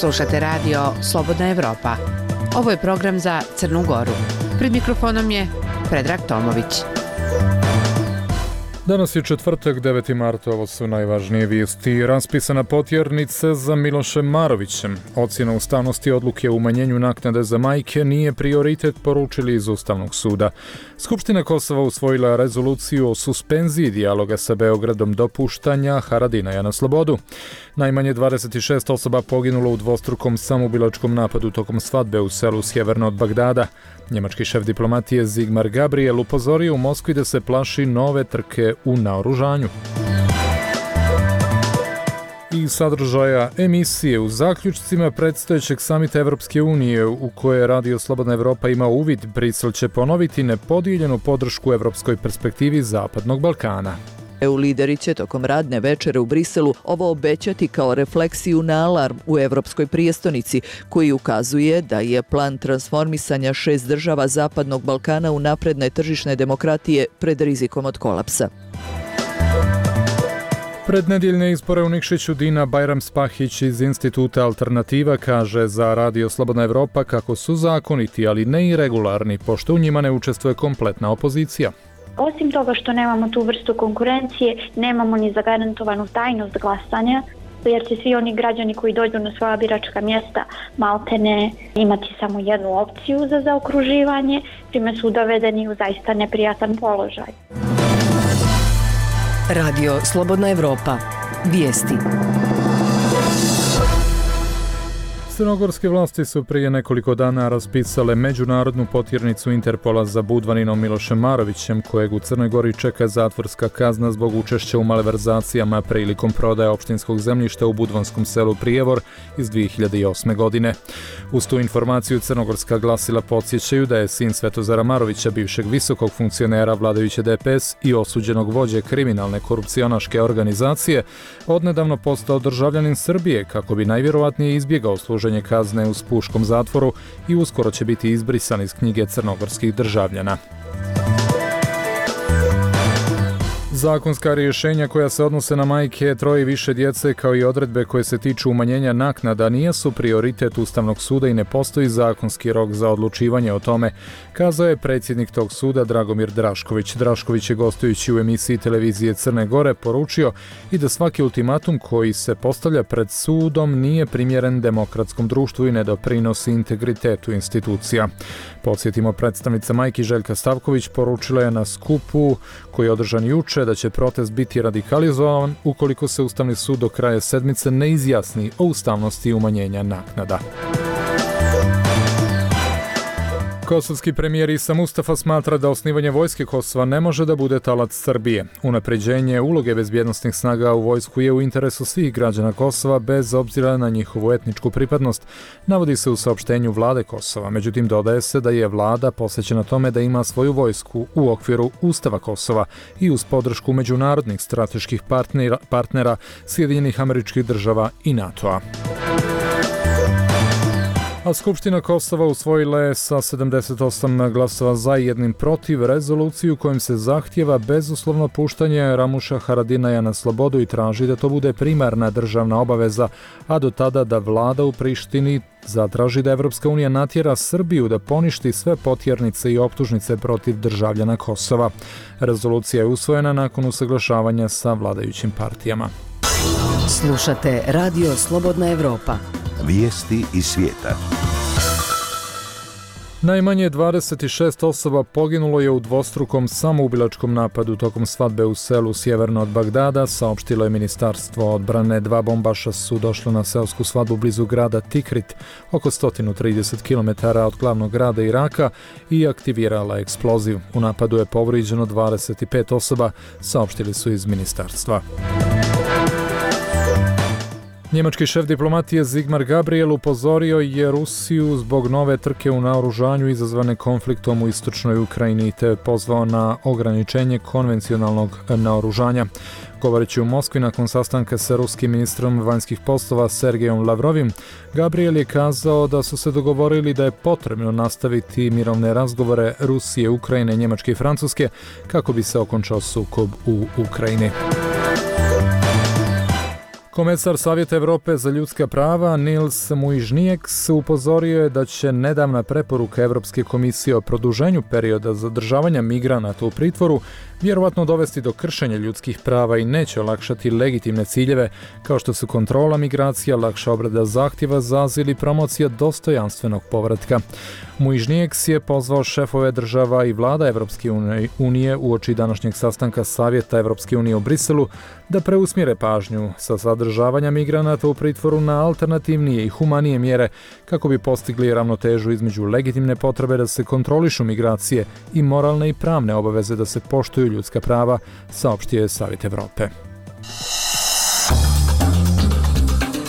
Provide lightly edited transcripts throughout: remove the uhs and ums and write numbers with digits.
Slušate radio Slobodna Evropa. Ovo je program za Crnu Goru. Pred mikrofonom je Predrag Tomović. Danas je četvrtak, 9. marta, ovo su najvažnije vijesti. Raspisana potjernica za Milošem Marovićem. Ocjena ustavnosti odluke o umanjenju naknade za majke nije prioritet, poručili iz Ustavnog suda. Skupština Kosova usvojila rezoluciju o suspenziji dijaloga sa Beogradom do puštanja Haradinaja na slobodu. Najmanje 26 osoba poginulo u dvostrukom samoubilačkom napadu tokom svadbe u selu sjeverno od Bagdada. Njemački šef diplomatije Sigmar Gabriel upozorio u Moskvi da se plaši nove trke u naoružanju. I sadržaja emisije u zaključcima predstojećeg samita Evropske unije u koje Radio Slobodna Evropa ima uvid, Brisel će ponoviti nepodijeljenu podršku evropskoj perspektivi Zapadnog Balkana. EU lideri će tokom radne večere u Briselu ovo obećati kao refleksiju na alarm u evropskoj prijestonici, koji ukazuje da je plan transformisanja 6 država Zapadnog Balkana u napredne tržišne demokratije pred rizikom od kolapsa. Pred nedjeljne izbore u Nikšiću Dina Bajram-Spahić iz Instituta Alternativa kaže za Radio Slobodna Evropa kako su zakoniti, ali ne i regularni, pošto u njima ne učestvuje kompletna opozicija. Osim toga što nemamo tu vrstu konkurencije, nemamo ni zagarantovanu tajnost glasanja, jer će svi oni građani koji dođu na svoja biračka mjesta maltene imati samo jednu opciju za zaokruživanje, čime su dovedeni u zaista neprijatan položaj. Radio Slobodna Evropa. Vijesti. Crnogorske vlasti su prije nekoliko dana raspisale međunarodnu potjernicu Interpola za Budvaninom Milošem Marovićem, kojeg u Crnoj Gori čeka zatvorska kazna zbog učešća u malverzacijama prilikom prodaje opštinskog zemljišta u budvanskom selu Prijevor iz 2008. godine. Uz tu informaciju crnogorska glasila podsjećaju da je sin Svetozara Marovića, bivšeg visokog funkcionera vladajuće DPS i osuđenog vođe kriminalne korupcionaške organizacije, odnedavno postao državljanin Srbije kako bi najvjerovatnije izbjegao služenje kazne u Spuškom zatvoru i uskoro će biti izbrisan iz knjige crnogorskih državljana. Zakonska rješenja koja se odnose na majke troje i više djece kao i odredbe koje se tiču umanjenja naknada nisu prioritet Ustavnog suda i ne postoji zakonski rok za odlučivanje o tome, kazao je predsjednik tog suda Dragomir Drašković. Drašković je gostujući u emisiji televizije Crne Gore poručio i da svaki ultimatum koji se postavlja pred sudom nije primjeren demokratskom društvu i ne doprinosi integritetu institucija. Podsjetimo, predstavnica majki Željka Stavković poručila je na skupu koji je održan juče da će protest biti radikalizovan ukoliko se Ustavni sud do kraja sedmice ne izjasni o ustavnosti umanjenja naknada. Kosovski premijer Isa Mustafa smatra da osnivanje vojske Kosova ne može da bude talac Srbije. Unapređenje uloge bezbjednosnih snaga u vojsku je u interesu svih građana Kosova bez obzira na njihovu etničku pripadnost, navodi se u saopštenju vlade Kosova. Međutim, dodaje se da je vlada posvećena tome da ima svoju vojsku u okviru Ustava Kosova i uz podršku međunarodnih strateških partnera Sjedinjenih Američkih Država i NATO-a. A Skupština Kosova usvojila je sa 78 glasova za i 1 protiv rezoluciju kojim se zahtjeva bezuslovno puštanje Ramuša Haradinaja na slobodu i traži da to bude primarna državna obaveza, a do tada da vlada u Prištini zatraži da Evropska unija natjera Srbiju da poništi sve potjernice i optužnice protiv državljana Kosova. Rezolucija je usvojena nakon usaglašavanja sa vladajućim partijama. Slušate Radio Slobodna Evropa. Vijesti iz svijeta. Najmanje 26 osoba poginulo je u dvostrukom samoubilačkom napadu tokom svadbe u selu sjeverno od Bagdada, saopštilo je Ministarstvo odbrane. 2 bombaša su došla na seosku svadbu blizu grada Tikrit, oko 130 km od glavnog grada Iraka, i aktivirala eksploziv. U napadu je povrijeđeno 25 osoba, saopštili su iz ministarstva. Njemački šef diplomatije Sigmar Gabriel upozorio je Rusiju zbog nove trke u naoružanju izazvane konfliktom u istočnoj Ukrajini te pozvao na ograničenje konvencionalnog naoružanja. Govoreći u Moskvi nakon sastanka sa ruskim ministrom vanjskih poslova Sergejom Lavrovim, Gabriel je kazao da su se dogovorili da je potrebno nastaviti mirovne razgovore Rusije, Ukrajine, Njemačke i Francuske kako bi se okončao sukob u Ukrajini. Komesar Savjeta Evrope za ljudska prava Nils Muižnieks upozorio je da će nedavna preporuka Evropske komisije o produženju perioda zadržavanja migranata u pritvoru vjerovatno dovesti do kršenja ljudskih prava i neće olakšati legitimne ciljeve kao što su kontrola migracija, lakša obrada zahtjeva za azil i promocija dostojanstvenog povratka. Muižnieks je pozvao šefove država i vlada Evropske unije uoči današnjeg sastanka Savjeta Evropske unije u Briselu da preusmjere pažnju sa zadržavanja migranata u pritvoru na alternativnije i humanije mjere kako bi postigli ravnotežu između legitimne potrebe da se kontrolišu migracije i moralne i pravne obaveze da se poštuju ljudska prava, saopštio je Savjet Evrope.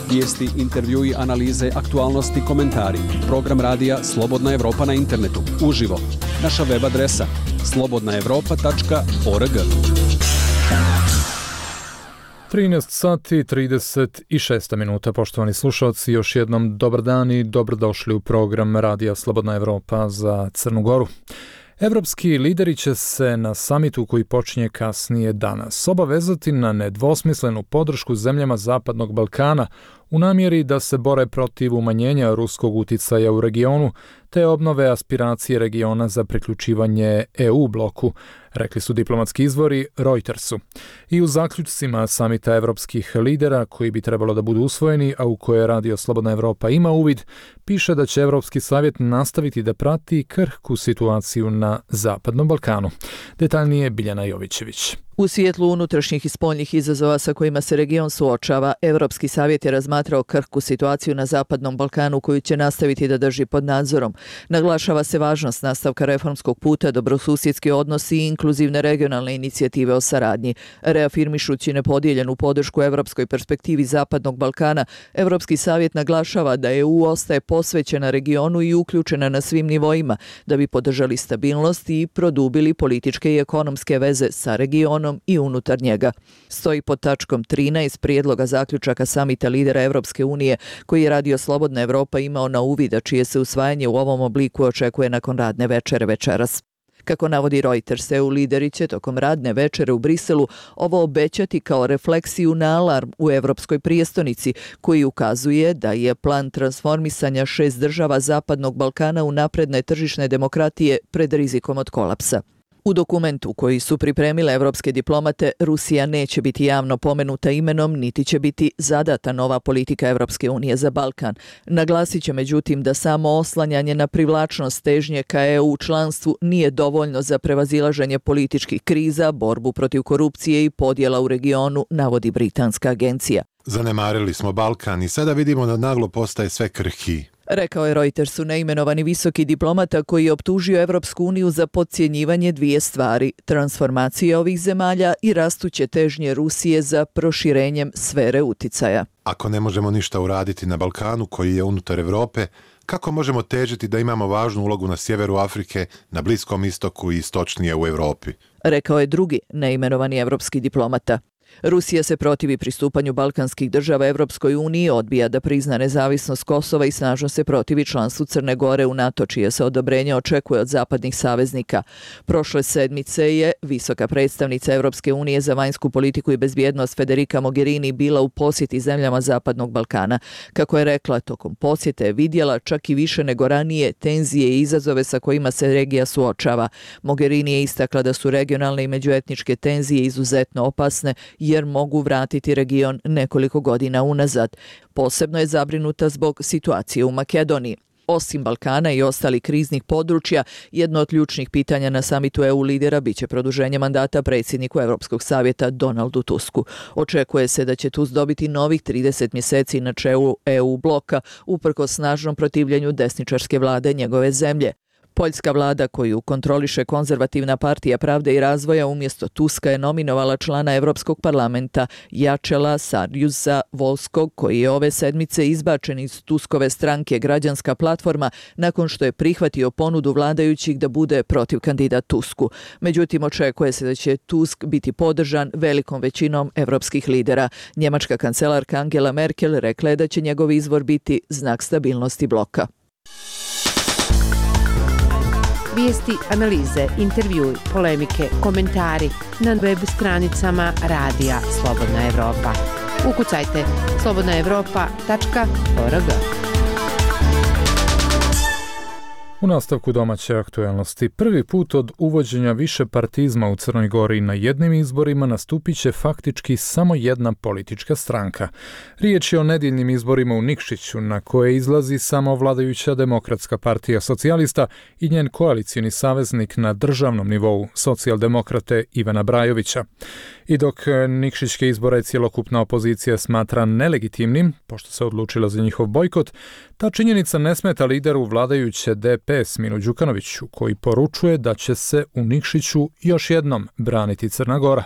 Vijesti, intervjui, analize, aktualnosti, komentari. Program radija Slobodna Evropa na internetu. Uživo. Naša web adresa slobodnaevropa.org. 13 sati 36 minuta, poštovani slušalci, još jednom dobar dan i dobrodošli u program radija Slobodna Evropa za Crnu Goru. Evropski lideri će se na samitu koji počinje kasnije danas obavezati na nedvosmislenu podršku zemljama Zapadnog Balkana u namjeri da se bore protiv umanjenja ruskog uticaja u regionu te obnove aspiracije regiona za priključivanje EU bloku, rekli su diplomatski izvori Reutersu. I u zaključcima samita evropskih lidera, koji bi trebalo da budu usvojeni, a u koje Radio Slobodna Evropa ima uvid, piše da će Evropski savjet nastaviti da prati krhku situaciju na Zapadnom Balkanu. Detaljnije Biljana Jovićević. U svjetlu unutrašnjih i spoljnih izazova sa kojima se region suočava, Evropski savjet je razmatrao krhku situaciju na Zapadnom Balkanu koju će nastaviti da drži pod nadzorom. Naglašava se važnost nastavka reformskog puta, dobrosusjedski odnosi i inkluzivne regionalne inicijative o saradnji. Reafirmišući nepodijeljenu podršku evropskoj perspektivi Zapadnog Balkana, Evropski savjet naglašava da EU ostaje posvećena regionu i uključena na svim nivoima da bi podržali stabilnost i produbili političke i ekonomske veze sa regionom i unutar njega. Stoji pod tačkom 13 prijedloga zaključaka samita lidera Evropske unije koji je Radio Slobodna Evropa imao na uvid, a čije se usvajanje u ovom obliku očekuje nakon radne večere večeras. Kako navodi Reuters, EU lideri će tokom radne večere u Briselu ovo obećati kao refleksiju na alarm u Evropskoj prijestonici koji ukazuje da je plan transformisanja 6 država Zapadnog Balkana u napredne tržišne demokratije pred rizikom od kolapsa. U dokumentu koji su pripremile evropske diplomate, Rusija neće biti javno pomenuta imenom, niti će biti zadata nova politika Evropske unije za Balkan. Naglasit će međutim da samo oslanjanje na privlačnost težnje ka EU članstvu nije dovoljno za prevazilaženje političkih kriza, borbu protiv korupcije i podjela u regionu, navodi britanska agencija. Zanemarili smo Balkan i sada vidimo da naglo postaje sve krhkiji. Rekao je Reutersu neimenovani visoki diplomata koji je optužio Evropsku uniju za podcjenjivanje dvije stvari, transformacije ovih zemalja i rastuće težnje Rusije za proširenjem sfere uticaja. Ako ne možemo ništa uraditi na Balkanu koji je unutar Evrope, kako možemo težiti da imamo važnu ulogu na sjeveru Afrike, na Bliskom istoku i istočnije u Europi? Rekao je drugi neimenovani evropski diplomata. Rusija se protivi pristupanju balkanskih država Evropskoj uniji, odbija da prizna nezavisnost Kosova i snažno se protivi članstvu Crne Gore u NATO, čije se odobrenje očekuje od zapadnih saveznika. Prošle sedmice je visoka predstavnica Evropske unije za vanjsku politiku i bezbjednost Federica Mogherini bila u posjeti zemljama Zapadnog Balkana. Kako je rekla, tokom posjete je vidjela čak i više nego ranije tenzije i izazove sa kojima se regija suočava. Mogherini je istakla da su regionalne i međuetničke tenzije izuzetno opasne jer mogu vratiti region nekoliko godina unazad. Posebno je zabrinuta zbog situacije u Makedoniji. Osim Balkana i ostalih kriznih područja, jedno od ključnih pitanja na samitu EU lidera biće produženje mandata predsjedniku Evropskog savjeta Donaldu Tusku. Očekuje se da će Tusk dobiti novih 30 mjeseci na čelu EU bloka uprkos snažnom protivljenju desničarske vlade njegove zemlje. Poljska vlada koju kontroliše konzervativna partija Pravde i razvoja umjesto Tuska je nominovala člana Europskog parlamenta Jacela Sarjusa Volskog, koji je ove sedmice izbačen iz Tuskove stranke Građanska platforma nakon što je prihvatio ponudu vladajućih da bude protiv kandidat Tusku. Međutim, očekuje se da će Tusk biti podržan velikom većinom evropskih lidera. Njemačka kancelarka Angela Merkel rekla je da će njegov izbor biti znak stabilnosti bloka. Vijesti, analize, intervjui, polemike, komentari na web stranicama Radija Slobodna Evropa. Ukucajte slobodnaevropa.org. U nastavku domaće aktuelnosti, prvi put od uvođenja višepartizma u Crnoj Gori na jednim izborima nastupit će faktički samo jedna politička stranka. Riječ je o nedjeljnim izborima u Nikšiću, na koje izlazi samo vladajuća Demokratska partija socijalista i njen koalicijni saveznik na državnom nivou, socijaldemokrate Ivana Brajovića. I dok nikšićke izbore cjelokupna opozicija smatra nelegitimnim, pošto se odlučila za njihov bojkot, ta činjenica ne smeta lideru vladajuće DPS Milu Đukanoviću, koji poručuje da će se u Nikšiću još jednom braniti Crna Gora.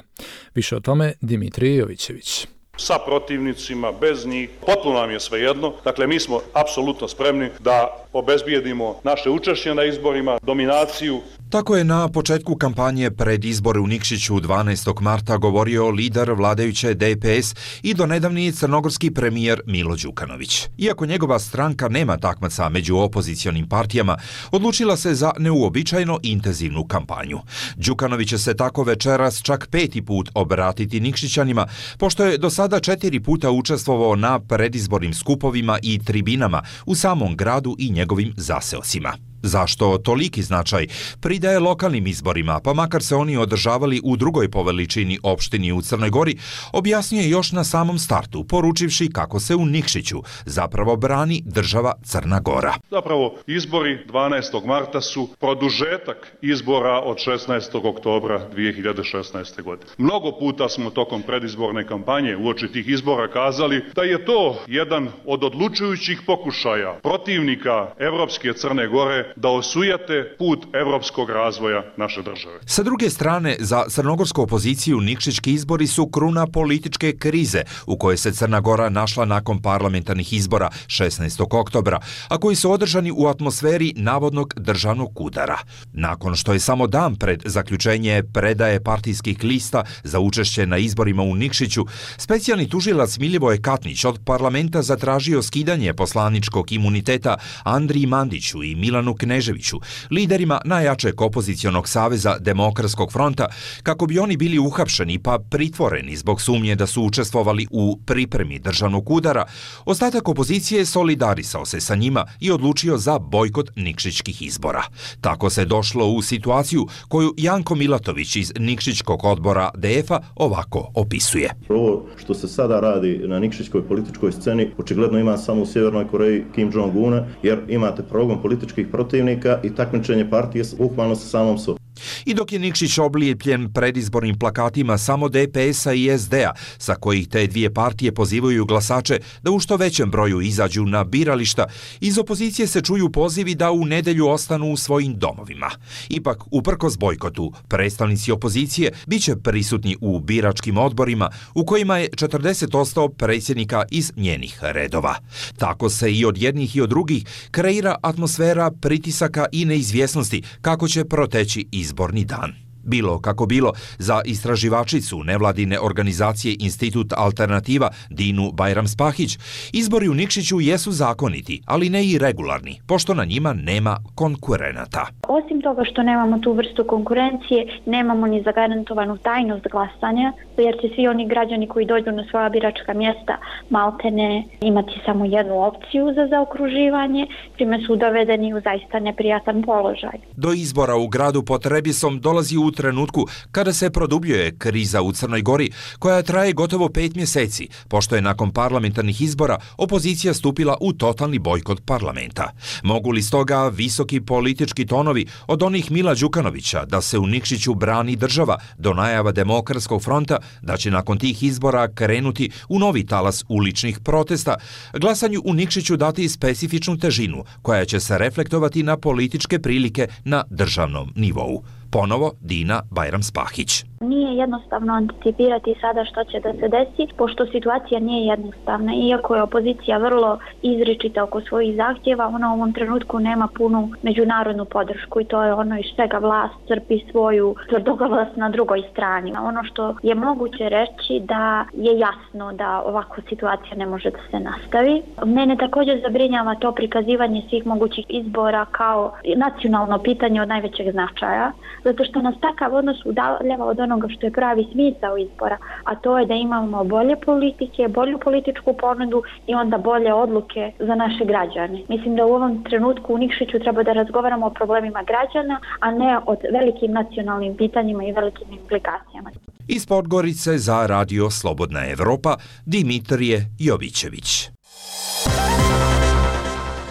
Više o tome Dimitrije Jovićević. Sa protivnicima, bez njih, potpuno nam je svejedno. Dakle, mi smo apsolutno spremni da obezbijedimo naše učešće na izborima, dominaciju. Tako je na početku kampanje pred izbore u Nikšiću 12. marta govorio lider vladajuće DPS i donedavni crnogorski premijer Milo Đukanović. Iako njegova stranka nema takmaca među opozicionim partijama, odlučila se za neuobičajeno intenzivnu kampanju. Đukanović će se tako večeras čak 5. put obratiti Nikšićanima, pošto je do sada 4 puta učestvovao na predizbornim skupovima i tribinama u samom gradu i njegovim zaseocima. Zašto toliki značaj pridaje lokalnim izborima, pa makar se oni održavali u drugoj po veličini opštini u Crnoj Gori, objasnije još na samom startu, poručivši kako se u Nikšiću zapravo brani država Crna Gora. Zapravo, izbori 12. marta su produžetak izbora od 16. oktobra 2016. godine. Mnogo puta smo tokom predizborne kampanje uoči tih izbora kazali da je to jedan od odlučujućih pokušaja protivnika Evropske Crne Gore da osujete put evropskog razvoja naše države. Sa druge strane, za crnogorsku opoziciju nikšićki izbori su kruna političke krize u kojoj se Crna Gora našla nakon parlamentarnih izbora 16. oktobra, a koji su održani u atmosferi navodnog državnog udara. Nakon što je samo dan pred zaključenje predaje partijskih lista za učešće na izborima u Nikšiću, specijalni tužilac Milivoje Katnić od parlamenta zatražio skidanje poslaničkog imuniteta Andriji Mandiću i Milanu Kneževiću, liderima najjačeg opozicionog saveza Demokratskog fronta, kako bi oni bili uhapšeni pa pritvoreni zbog sumnje da su učestvovali u pripremi državnog udara, ostatak opozicije solidarisao se sa njima i odlučio za bojkot nikšićkih izbora. Tako se došlo u situaciju koju Janko Milatović iz nikšićkog odbora DF-a ovako opisuje. Ovo što se sada radi na nikšićkoj političkoj sceni očigledno ima samo u Sjevernoj Koreji Kim Jong-una, jer imate progon političkih protivnika i takmičenje partije bukvalno sa samom sobom. I dok je Nikšić oblijepljen predizbornim plakatima samo DPS-a i SD-a, sa kojih te dvije partije pozivaju glasače da u što većem broju izađu na birališta, iz opozicije se čuju pozivi da u nedelju ostanu u svojim domovima. Ipak, uprkos bojkotu, predstavnici opozicije biće prisutni u biračkim odborima u kojima je 40% predsjednika iz njenih redova. Tako se i od jednih i od drugih kreira atmosfera pritisaka i neizvjesnosti kako će proteći izborni dan. Bilo kako bilo, za istraživačicu nevladine organizacije Institut Alternativa Dinu Bajram-Spahić, izbori u Nikšiću jesu zakoniti, ali ne i regularni, pošto na njima nema konkurenata. Osim toga što nemamo tu vrstu konkurencije, nemamo ni zagarantovanu tajnost glasanja, jer će svi oni građani koji dođu na svoja biračka mjesta maltene imati samo jednu opciju za zaokruživanje, čime su dovedeni u zaista neprijatan položaj. Do izbora u gradu pod Trebisom dolazi u trenutku kada se produbljuje kriza u Crnoj Gori, koja traje gotovo 5 mjeseci, pošto je nakon parlamentarnih izbora opozicija stupila u totalni bojkot parlamenta. Mogu li stoga visoki politički tonovi od onih Mila Đukanovića da se u Nikšiću brani država do najava Demokratskog fronta da će nakon tih izbora krenuti u novi talas uličnih protesta, glasanju u Nikšiću dati specifičnu težinu koja će se reflektovati na političke prilike na državnom nivou. Ponovo Dina Bajram-Spahić. Nije jednostavno anticipirati sada što će da se desi, pošto situacija nije jednostavna. Iako je opozicija vrlo izričita oko svojih zahtjeva, ona u ovom trenutku nema punu međunarodnu podršku i to je ono iz čega vlast crpi svoju tvrdoglavost na drugoj strani. Ono što je moguće reći da je jasno da ovakva situacija ne može da se nastavi. Mene također zabrinjava to prikazivanje svih mogućih izbora kao nacionalno pitanje od najvećeg značaja, zato što nas takav odnos udaljava od onoga što je pravi smisao izbora, a to je da imamo bolje politike, bolju političku ponudu i onda bolje odluke za naše građane. Mislim da u ovom trenutku u Nikšiću treba da razgovaramo o problemima građana, a ne o velikim nacionalnim pitanjima i velikim implikacijama. Iz Podgorice za Radio Slobodna Evropa, Dimitrije Jovićević.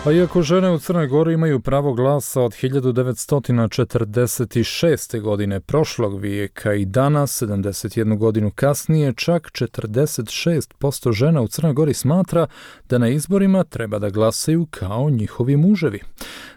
A iako žene u Crnoj Gori imaju pravo glasa od 1946. godine prošlog vijeka i danas, 71 godinu kasnije, čak 46% žena u Crnoj Gori smatra da na izborima treba da glasaju kao njihovi muževi.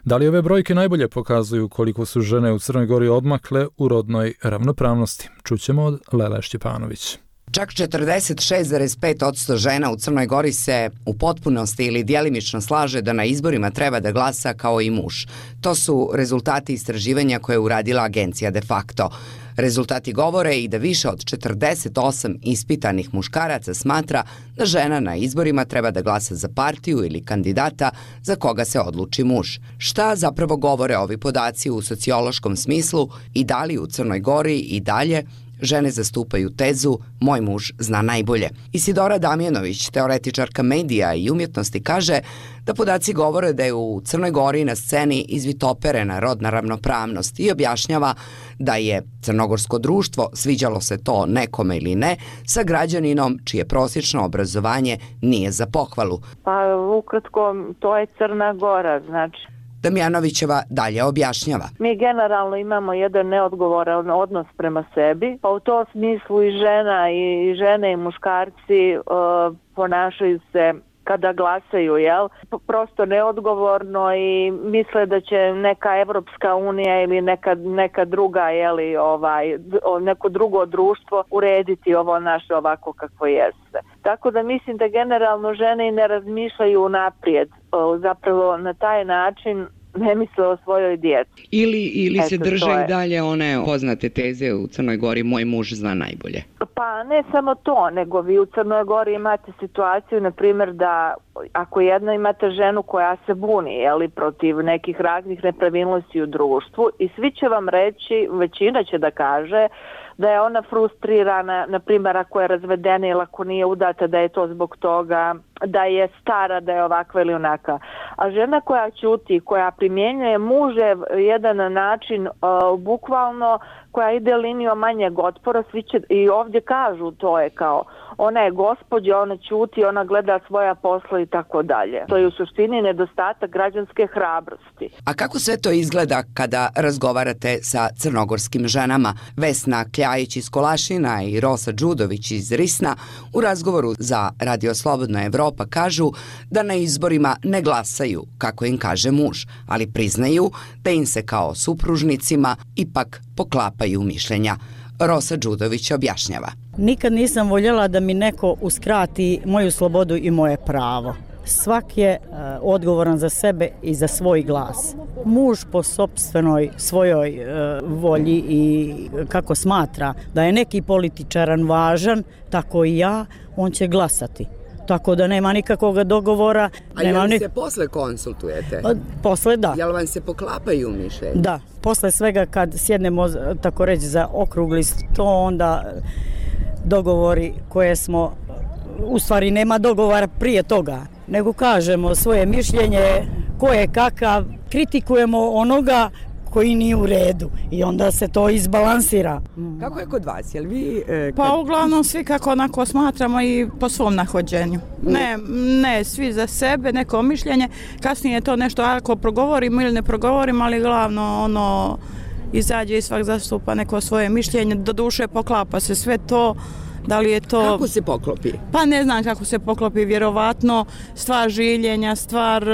Da li ove brojke najbolje pokazuju koliko su žene u Crnoj Gori odmakle u rodnoj ravnopravnosti? Čućemo od Lele Štjepanović. Čak 46,5% žena u Crnoj Gori se u potpunosti ili djelimično slaže da na izborima treba da glasa kao i muž. To su rezultati istraživanja koje je uradila agencija De Facto. Rezultati govore i da više od 48 ispitanih muškaraca smatra da žena na izborima treba da glasa za partiju ili kandidata za koga se odluči muž. Šta zapravo govore ovi podaci u sociološkom smislu i da li u Crnoj Gori i dalje žene zastupaju tezu "moj muž zna najbolje"? Isidora Damjanović, teoretičarka medija i umjetnosti, kaže da podaci govore da je u Crnoj Gori na sceni izvitoperena rodna ravnopravnost i objašnjava da je crnogorsko društvo, sviđalo se to nekome ili ne, sa građaninom čije prosječno obrazovanje nije za pohvalu. Pa ukratko, to je Crna Gora, znači. Damjanovićeva dalje objašnjava. Mi generalno imamo jedan neodgovoran odnos prema sebi, pa u tom smislu i žene i muškarci ponašaju se kada glasaju, prosto neodgovorno i misle da će neka Evropska unija ili neka druga, neko drugo društvo urediti ovo naše ovako kako jeste. Tako da mislim da generalno žene i ne razmišljaju naprijed, zapravo na taj način ne misle o svojoj djeci. Ili se drže i dalje one poznate teze u Crnoj Gori, "moj muž zna najbolje"? Pa ne samo to, nego vi u Crnoj Gori imate situaciju, na primjer, da ako imate ženu koja se buni protiv nekih raznih nepravilnosti u društvu i svi će vam reći, većina će da kaže da je ona frustrirana, na primjer ako je razvedena ili ako nije udata, da je to zbog toga, da je stara, da je ovakva ili onaka. A žena koja ćuti, koja primjenjuje mužev jedan način, bukvalno koja ide linijom manjeg otpora, svi će i ovdje kažu, to je kao ona je gospođa, ona ćuti, ona gleda svoja posla i tako dalje. To je u suštini nedostatak građanske hrabrosti. A kako sve to izgleda kada razgovarate sa crnogorskim ženama? Vesna Kljajić iz Kolašina i Rosa Đudović iz Risna u razgovoru za Radio Slobodna Evropa kažu da na izborima ne glasaju, kako im kaže muž, ali priznaju da im se kao supružnicima ipak poklapaju mišljenja. Rosa Đudović objašnjava. Nikad nisam voljela da mi neko uskrati moju slobodu i moje pravo. Svak je odgovoran za sebe i za svoj glas. Muž po sopstvenoj svojoj volji i kako smatra da je neki političaran važan, tako i ja, on će glasati. Tako da nema nikakvog dogovora. A jel se posle konsultujete? Posle da. Jel vam se poklapaju mišljenja? Da, posle svega kad sjednemo, tako reći, za okrugli sto, onda dogovori koje smo, u stvari nema dogovora prije toga, nego kažemo svoje mišljenje, ko je kakav, kritikujemo onoga koji nije u redu i onda se to izbalansira. Kako je kod vas? Jel vi, Pa uglavnom svi kako onako smatramo i po svom nahođenju. Ne, svi za sebe, neko mišljenje. Kasnije to nešto ako progovorimo ili ne progovorimo, ali glavno izađe i svak zastupa neko svoje mišljenje. Doduše poklapa se sve to. Da li je to... Kako se poklopi? Pa ne znam kako se poklopi, vjerovatno stvar žiljenja, stvar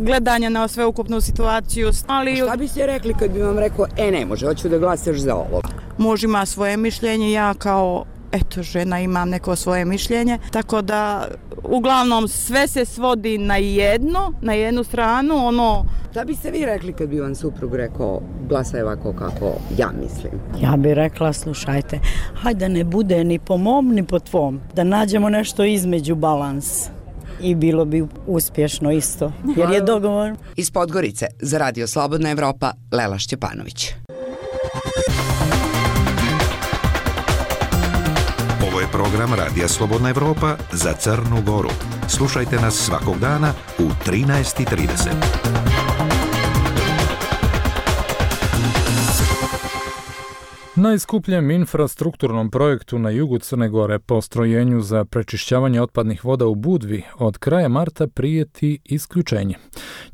gledanja na sveukupnu situaciju. Ali... A šta biste rekli kad bi vam rekao, ne može, hoću da glasaš za ovo? Muž ima svoje mišljenje, ja kao žena imam neko svoje mišljenje, tako da uglavnom sve se svodi na jednu stranu, Šta biste vi rekli kad bi vam suprug rekao, glasaj ovako kako ja mislim? Ja bih rekla, slušajte, hajde ne bude ni po mom ni po tvom, da nađemo nešto između, balans. I bilo bi uspješno isto, jer je dogovor. Iz Podgorice za Radio Slobodna Evropa, Lela Šćepanović. program Radija Slobodna Evropa za Crnu Goru. Slušajte nas svakog dana u 13:30. Najskupljem infrastrukturnom projektu na jugu Crne Gore, postrojenju za prečišćavanje otpadnih voda u Budvi, od kraja marta prijeti isključenje.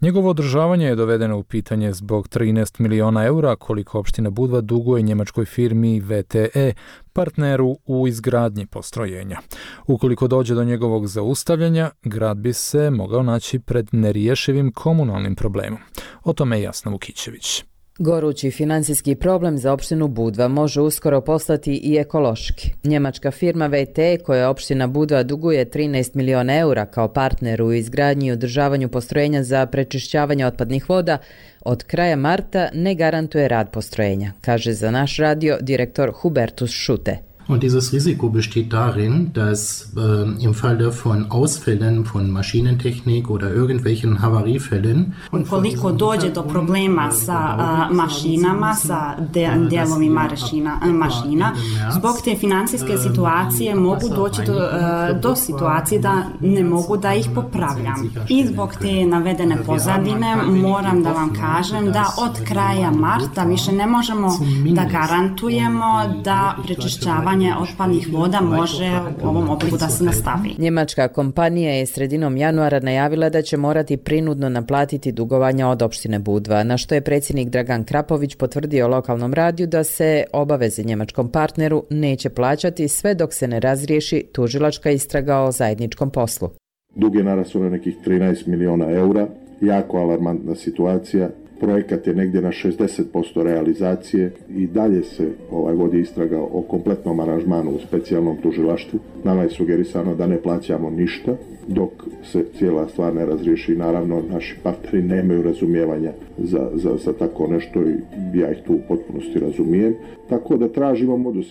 Njegovo održavanje je dovedeno u pitanje zbog 13 miliona eura koliko opština Budva duguje njemačkoj firmi VTE, partneru u izgradnji postrojenja. Ukoliko dođe do njegovog zaustavljanja, grad bi se mogao naći pred neriješivim komunalnim problemom. O tome je Jasna Vukićević. Gorući financijski problem za opštinu Budva može uskoro postati i ekološki. Njemačka firma VTE, koja opština Budva duguje 13 miliona eura kao partner u izgradnji i održavanju postrojenja za prečišćavanje otpadnih voda, od kraja marta ne garantuje rad postrojenja, kaže za naš radio direktor Hubertus Schutte. Und dieses Risiko besteht darin, dass im Falle von Ausfällen von Maschinentechnik oder irgendwelchen Havariefällen ukoliko dođe do problema sa mašinama, sa delovima mašina, zbog te financijske situacije mogu doći do situacije da ne mogu da ih popravljam. I zbog te navedene pozadine moram da vam kažem da od kraja marta više ne možemo da garantujemo da prečišćavanje otpadnih voda može u ovom obliku da se nastavi. Njemačka kompanija je sredinom januara najavila da će morati prinudno naplatiti dugovanja od opštine Budva, na što je predsjednik Dragan Krapović potvrdio lokalnom radiju da se obaveze njemačkom partneru neće plaćati sve dok se ne razriješi tužilačka istraga o zajedničkom poslu. Dug je narastao na nekih 13 miliona eura, jako alarmantna situacija. Projekat je negdje na 60% realizacije i dalje se vodi istraga o kompletnom aranžmanu u specijalnom tužilaštvu. Nama je sugerisano da ne plaćamo ništa dok se cijela stvar ne razriješi. Naravno, naši partneri nemaju razumijevanja za tako nešto i ja ih tu u potpunosti razumijem. Tako da tražimo modus.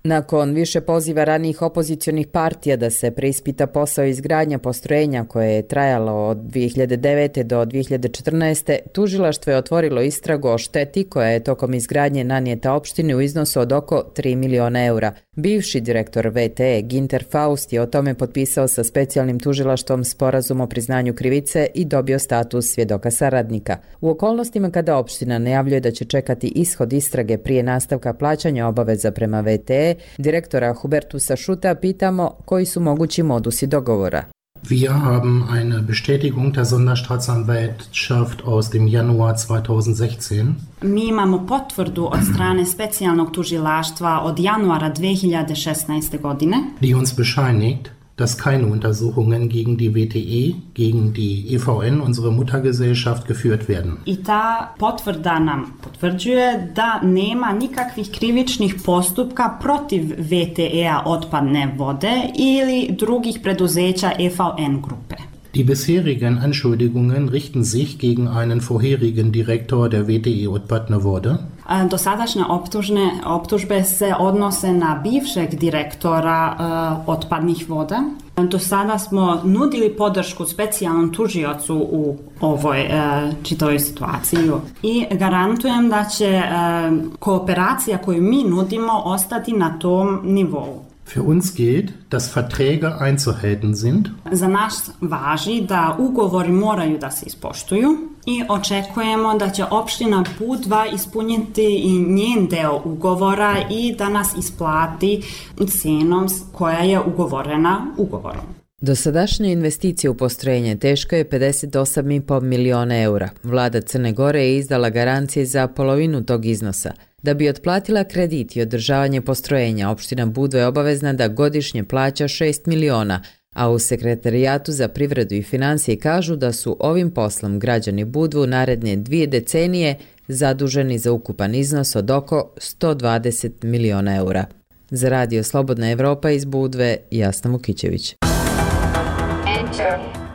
Nakon više poziva ranijih opozicionih partija da se preispita posao izgradnja postrojenja koje je trajalo od 2009. do 2014. tužilaštvo je otvorilo istragu o šteti koja je tokom izgradnje nanijeta opštini u iznosu od oko 3 miliona eura. Bivši direktor VTE Ginter Faust je o tome potpisao sa specijalnim tužilaštvom sporazum o priznanju krivice i dobio status svjedoka saradnika. U okolnostima kada opština najavljuje da će čekati ishod istrage prije nastavka plaćanja obaveza prema VTE, direktora Hubertusa Schutta pitamo koji su mogući modusi dogovora. Wir haben eine Bestätigung der Sonderstaatsanwaltschaft aus dem Januar 2016. Mi imamo potvrdu od strane specijalnog tužilaštva od januara 2016. godine. Die uns bescheinigt, dass keine Untersuchungen gegen die WTE, gegen die EVN, unsere Muttergesellschaft, geführt werden. I ta potvrda nam potvrđuje da nema nikakvih krivičnih postupka protiv VTE-a otpadne vode ili drugih preduzeća EVN grupe. Die bisherigen Anschuldigungen richten sich gegen einen vorherigen Direktor der WTE otpadne vode. Dosadašnje optužbe se odnose na bivšeg direktora otpadnih voda. Do sada smo nudili podršku specijalnom tužiocu u ovoj čitavoj situaciji i garantujem da će kooperacija koju mi nudimo ostati na tom nivou. Für uns gilt, dass Verträge einzuhalten sind. Za nas važi da ugovori moraju da se ispoštuju i očekujemo da će opština Budva ispuniti i njen deo ugovora i da nas isplati cenom koja je ugovorena ugovorom. Dosadašnja investicija u postrojenje teška je 58,5 miliona eura. Vlada Crne Gore je izdala garancije za polovinu tog iznosa. Da bi otplatila kredit i održavanje postrojenja, opština Budva je obavezna da godišnje plaća 6 miliona, a u Sekretarijatu za privredu i financije kažu da su ovim poslom građani Budvu naredne 2 decenije zaduženi za ukupan iznos od oko 120 miliona eura. Za Radio Slobodna Evropa iz Budve, Jasna Vukićević.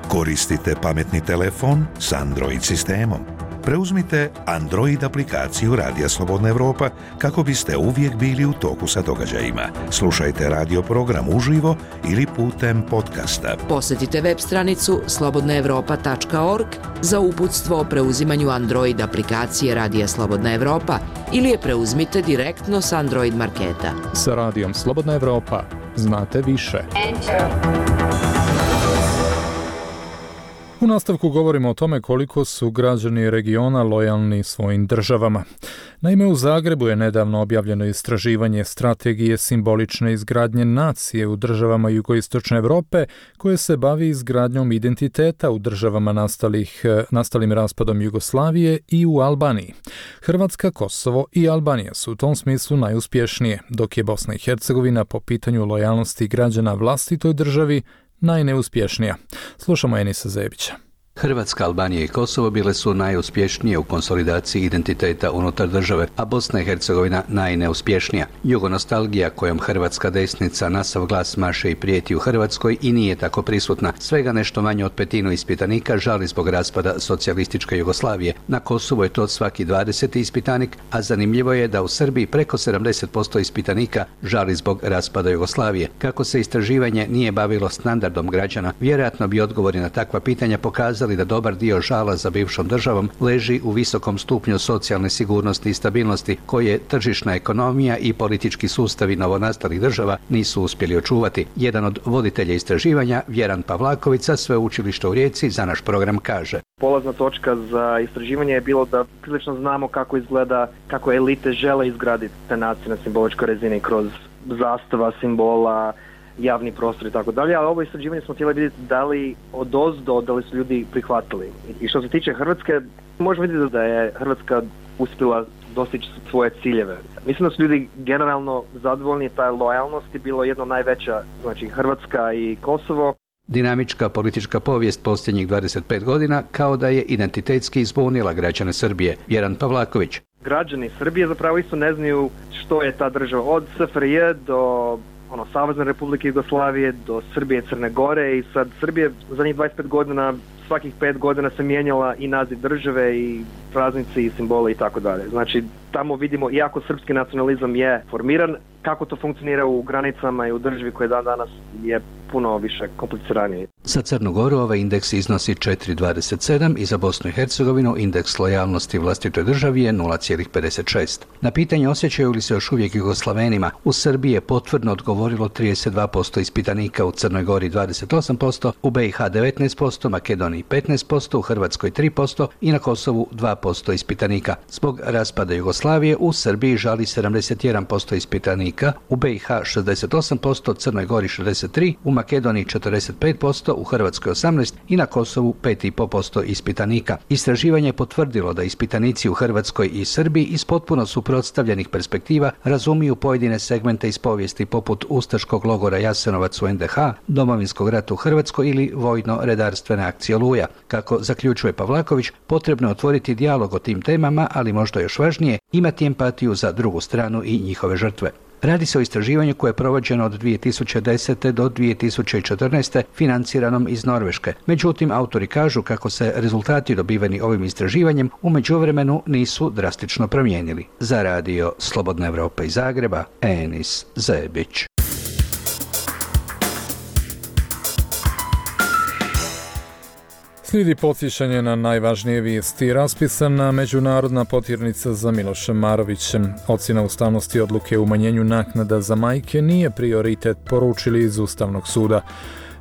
Koristite pametni telefon s Android sistemom. Preuzmite Android aplikaciju Radija Slobodna Evropa kako biste uvijek bili u toku sa događajima. Slušajte radio program uživo ili putem podcasta. Posjetite web stranicu slobodnaevropa.org za uputstvo o preuzimanju Android aplikacije Radija Slobodna Evropa ili je preuzmite direktno s Android marketa. Sa Radijom Slobodna Evropa znate više. U nastavku govorimo o tome koliko su građani regiona lojalni svojim državama. Naime, u Zagrebu je nedavno objavljeno istraživanje strategije simbolične izgradnje nacije u državama jugoistočne Europe koje se bavi izgradnjom identiteta u državama nastalim raspadom Jugoslavije i u Albaniji. Hrvatska, Kosovo i Albanija su u tom smislu najuspješnije, dok je Bosna i Hercegovina po pitanju lojalnosti građana vlastitoj državi najneuspješnija. Slušamo Enisa Zebića. Hrvatska, Albanija i Kosovo bile su najuspješnije u konsolidaciji identiteta unutar države, a Bosna i Hercegovina najneuspješnija. Jugonostalgija kojom hrvatska desnica na sav glas maše i prijeti u Hrvatskoj i nije tako prisutna. Svega nešto manje od petinu ispitanika žali zbog raspada socijalističke Jugoslavije. Na Kosovu je to svaki 20. ispitanik, a zanimljivo je da u Srbiji preko 70% ispitanika žali zbog raspada Jugoslavije. Kako se istraživanje nije bavilo standardom građana, vjerojatno bi odgovori na takva pitanja pokazali da dobar dio žala za bivšom državom leži u visokom stupnju socijalne sigurnosti i stabilnosti koje tržišna ekonomija i politički sustavi novonastalih država nisu uspjeli očuvati. Jedan od voditelja istraživanja, Vjeran Pavlaković sa Sveučilišta u Rijeci, za naš program kaže: polazna točka za istraživanje je bilo da prilično znamo kako izgleda, kako elite žele izgraditi te nacije na simboličkoj razini kroz zastava, simbola, javni prostor i tako dalje, ali ovo istraživanje smo htjeli vidjeti da li odozdo, da li su ljudi prihvatili. I što se tiče Hrvatske, možemo vidjeti da je Hrvatska uspjela dostići svoje ciljeve. Mislim da su ljudi generalno zadovoljni, ta lojalnost je bilo jedno najveća, znači Hrvatska i Kosovo. Dinamička politička povijest posljednjih 25 godina kao da je identitetski izbunila građane Srbije. Vjeran Pavlaković. Građani Srbije zapravo isto ne znaju što je ta država, od SFRJ do Savezne Republike Jugoslavije do Srbije i Crne Gore, i sad Srbije zadnjih 25 godina, svakih 5 godina se mijenjala i naziv države i praznici i simbole i tako dalje. Znači tamo vidimo, iako srpski nacionalizam je formiran, kako to funkcionira u granicama i u državi koja danas je puno više kompliciranije. Za Crnu Goru ovaj indeks iznosi 4,27 i za Bosnu i Hercegovinu indeks lojalnosti vlastitoj državi je 0,56. Na pitanje osjećaju li se još uvijek Jugoslavenima, u Srbiji je potvrdno odgovorilo 32% ispitanika, u Crnoj Gori 28%, u BiH 19%, Makedoniji 15%, u Hrvatskoj 3% i na Kosovu 2% ispitanika. Zbog raspada Jugoslavije u Srbiji žali 71% ispitanika, u BiH 68%, Crnoj Gori 63%, u Makedoniji 45%, u Hrvatskoj 18% i na Kosovu 5,5% ispitanika. Istraživanje je potvrdilo da ispitanici u Hrvatskoj i Srbiji iz potpuno suprotstavljenih perspektiva razumiju pojedine segmente iz povijesti poput ustaškog logora Jasenovac u NDH, Domovinskog rata u Hrvatskoj ili vojno-redarstvene akcije Oluja. Kako zaključuje Pavlaković, potrebno je otvoriti dijalog o tim temama, ali možda još važnije, imati empatiju za drugu stranu i njihove žrtve. Radi se o istraživanju koje je provođeno od 2010. do 2014. financiranom iz Norveške. Međutim, autori kažu kako se rezultati dobiveni ovim istraživanjem u međuvremenu nisu drastično promijenili. Za radio Slobodna Evropa iz Zagreba, Enis Zebić. Slijedi podsjećanje na najvažnije vijesti. Raspisana međunarodna potirnica za Milošem Marovićem. Ocjena ustavnosti odluke o umanjenju naknada za majke nije prioritet, poručili iz Ustavnog suda.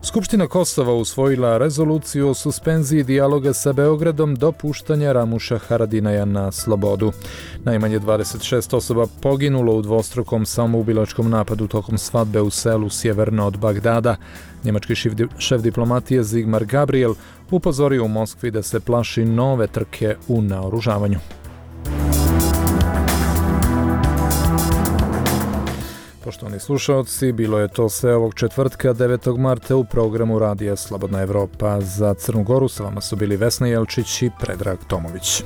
Skupština Kosova usvojila rezoluciju o suspenziji dijaloga sa Beogradom do puštanja Ramuša Haradinaja na slobodu. Najmanje 26 osoba poginulo u dvostrukom samoubilačkom napadu tokom svadbe u selu sjeverno od Bagdada. Njemački šef diplomatije Sigmar Gabriel upozorio u Moskvi da se plaši nove trke u naoružavanju. Poštovani slušalci, bilo je to sve ovog četvrtka 9. marta u programu Radija Slobodna Evropa. Za Crnu Goru sa vama su bili Vesna Jelčić i Predrag Tomović.